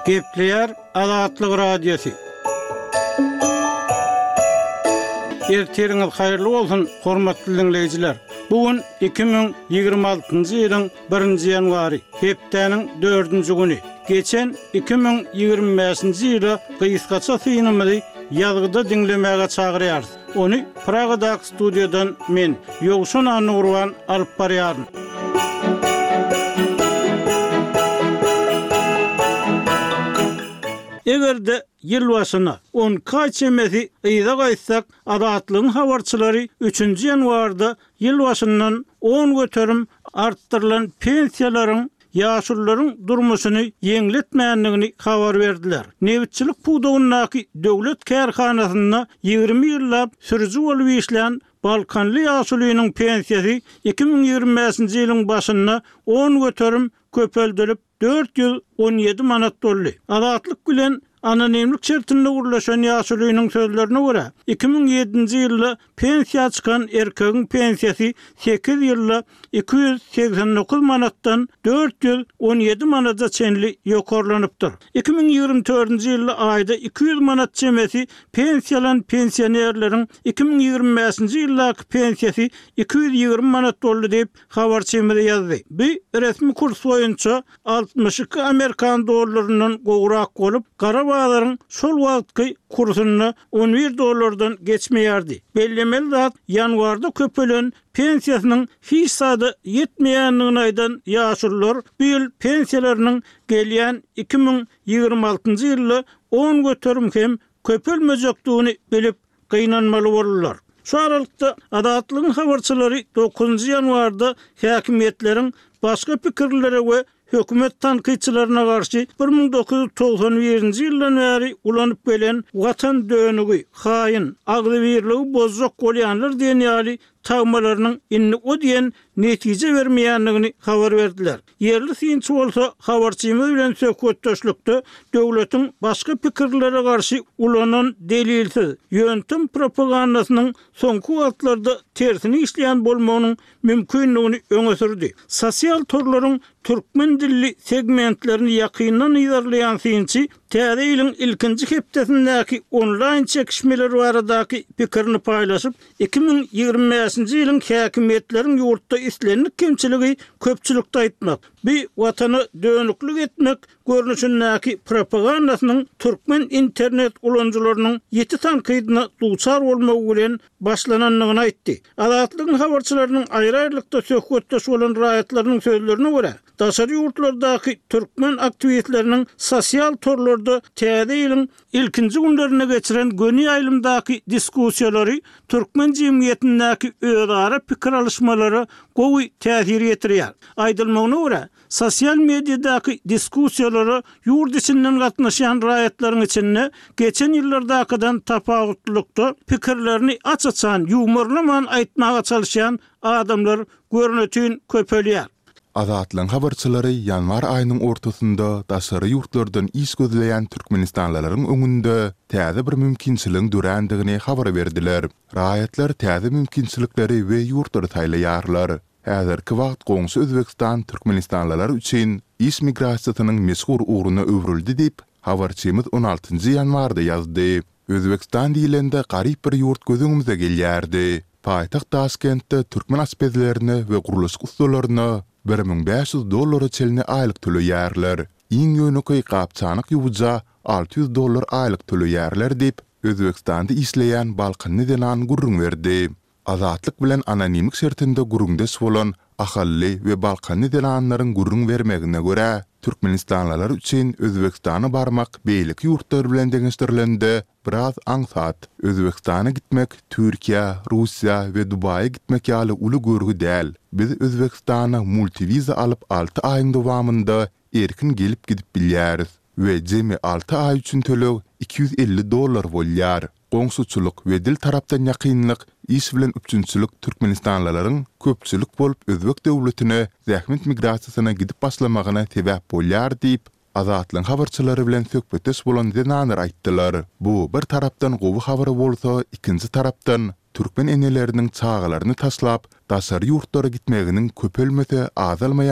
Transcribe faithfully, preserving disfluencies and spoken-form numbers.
Gepleýär Azatlyk Radiosy. Ertiriňiz haýyrly bolsun, hormatly diňleýjiler! Bu gün iki müň ýigrimi altynjy ýylyň birinji ýanwary, hepdäniň dördünji güni. Geçen iki müň ýigrimi bäşinji ýyla gysgaça synymyzy ýazgyda diňlemäge çagyrýarys. Ony Pragadaky studiýadan men, Ýowşan Annagurban alyp barýaryn. Eger-de ýyl başyna on iki aý çemesi yza gaýtsak, Azatlygyň habarçylary üçünji ýanwarda ýyl başyndan on göterim artdyrylan pensiýalaryň ýaşulularyň durmuşyny ýeňletmändigini habar berdiler. Nebitçilik pudagyndaky döwlet kärhanasynda ýigrimi ýyllap sürüji bolup işlän balkanly ýaşulynyň pensiýasy iki müň ýigrimi bäşinji ýylyň başynda on göterim köpeldilip, dört ýüz on ýedi manat boldy. Azatlyk bilen anonimlik şertinde gürleşen ýaşulynyň sözlerine görä, iki müň ýedinji ýylda pensiýa çykan erkegiň pensiýasy sekiz ýylda iki ýüz segsen dokuz manatdan dört ýüz on ýedi manada çenli ýokarlanypdyr. Iki müň ýigrimi dördünji ýylda aýda iki ýüz manat çemesi pensiýa alan pensionerleriň iki müň ýigrimi bäşinji ýyldaky pensiýasy iki ýüz ýigrimi manat boldy diýip, habarçymyz ýazdy. Bu resmi kurs boýunça altmyş iki amerikan dollaryndan gowrak bolup, gara bazaryň şol wagtky kursunda on bir dollardan geçmeýärdi. Bellemeli zat, ýanwarda köpelen pensiýasynyň hiç zada ýetmeýändigini aýdan ýaşulular bu ýyl pensiýalarynyň gelýän iki müň ýigrimi altynjy ýylda on göterim hem köpelmejekdigini bilip gynanmaly boldular. Şu aralykda Azatlygyň habarçylary dokuzynjy ýanwarda häkimiýetleriň başga pikirlilere we hökümet tankytçylaryna garşy bir müň dokuz ýüz togsan birinji ýyldan bäri ulanyp gelen watan dönügi, haýyn, agzybirligi bozjak bolýanlar diýen ýaly tagmalarynyň indi o diýen netije bermeýändigini habar berdiler. Ýerli synçy bolsa habarçymyz bilen söhbetdeşlikde döwletiň başga pikirlere garşy ulanan delilsiz, ýöntem propagandasynyň soňky wagtlarda tersini işleýän bolmagynyň mümkindigini öňe sürdi. Sosial torlaryň türkmen dilli segmentlerini ýakyndan yzarlaýan synçy täze ýylyň ilkinji hepdesindäki onlaýn çekişmeler baradaky pikirini paýlaşyp, iki müň ýigrimi bäşinji ýylyň häkimiýetleriň ýurtda islendik kemçiligi köpçülikde aýtmak, bu watana dönüklik etmek görnüşindäki propagandasynyň türkmen internet ulanyjylarynyň ýiti tankydyna duçar bolmagy bilen başlanandygyny aýtdy. Azatlygyň habarçylarynyň aýry-aýrylykda söhbetdeş bolan raýatlarynyň sözlerine görä, daşary ýurtlardaky türkmen aktiwistleriniň sosial torlarda täze ýylyň ilkinji günlerinde geçiren göni ýaýlymdaky diskussiýalary türkmen jemgyýetindäki özara pikir alyşmalara gowy täsir ýetirýär. Aýdylmagyna görä, sosial mediadaky diskussiýalara ýurt içinden gatnaşýan raýatlaryň içinde geçen ýyllardakydan tapawutlylykda pikirlerini aç-açan, ýuwmarlaman aýtmaga çalyşýan adamlar görnetin köpelýär. Azatlygyň habarçylary ýanwar aýynyň ortasynda daşary ýurtlardan iş gözleýän türkmenistanlylaryň öňünde täze bir mümkinçiligiň dörändigini habar berdiler. Raýatlar täze mümkinçilikleri we ýurtlary saýlaýarlar. Häzirki wagt goňşy Özbegistan türkmenistanlylar üçin iş migrasiýasynyň meşhur ugruna öwrüldi diýip, habarçymyz on altynjy ýanwarda ýazdy. Özbegistan diýlende garyp bir ýurt göz öňümize gelýärdi. Paýtagt Daşkentde türkmen aşpezlerine we gurluşyk ussalaryna bir müň bäş ýüz dollara çenli aýlyk töleýärler. Iň ýönekeý gap-çanak ýuwuja alty ýüz dollar aýlyk töleýärler diýip, Özbegistanda işleýän balkanly zenan gürrüň berdi. Azatlyk bilen anonimlik şertinde gürrüňdeş bolan ahally we balkanly zenanlaryň gürrüň bermegine görä, türkmenistanlylar üçin Özbegistana barmak beýleki ýurtlar bilen deňeşdirilende biraz aňsat. Özbegistana gitmek Türkiýä, Russiýa we Dubaýa gitmek ýaly uly görgi däl. Biz Özbegistana multiwiza alyp alty aýyň dowamynda erkin gelip-gidip bilýäris we jemi alty aý üçin töleg iki ýüz elli dollar bolýar. Goňşuçylyk we dil tarapdan ýakynlyk, iş bilen üpjünçilik türkmenistanlylaryň köpçülik bolup özbek döwletine zähmet migrasiýasyna gidip başlamagyna sebäp bolýar diýip, Azatlygyň habarçylary bilen söhbetdeş bolan zenanlar aýtdylar. Bu bir tarapdan gowy habar bolsa, ikinji tarapdan, türkmen eneleriniň çagalaryny taşlap, daşary ýurtlara gitmeginiň köpelmese azalmaýan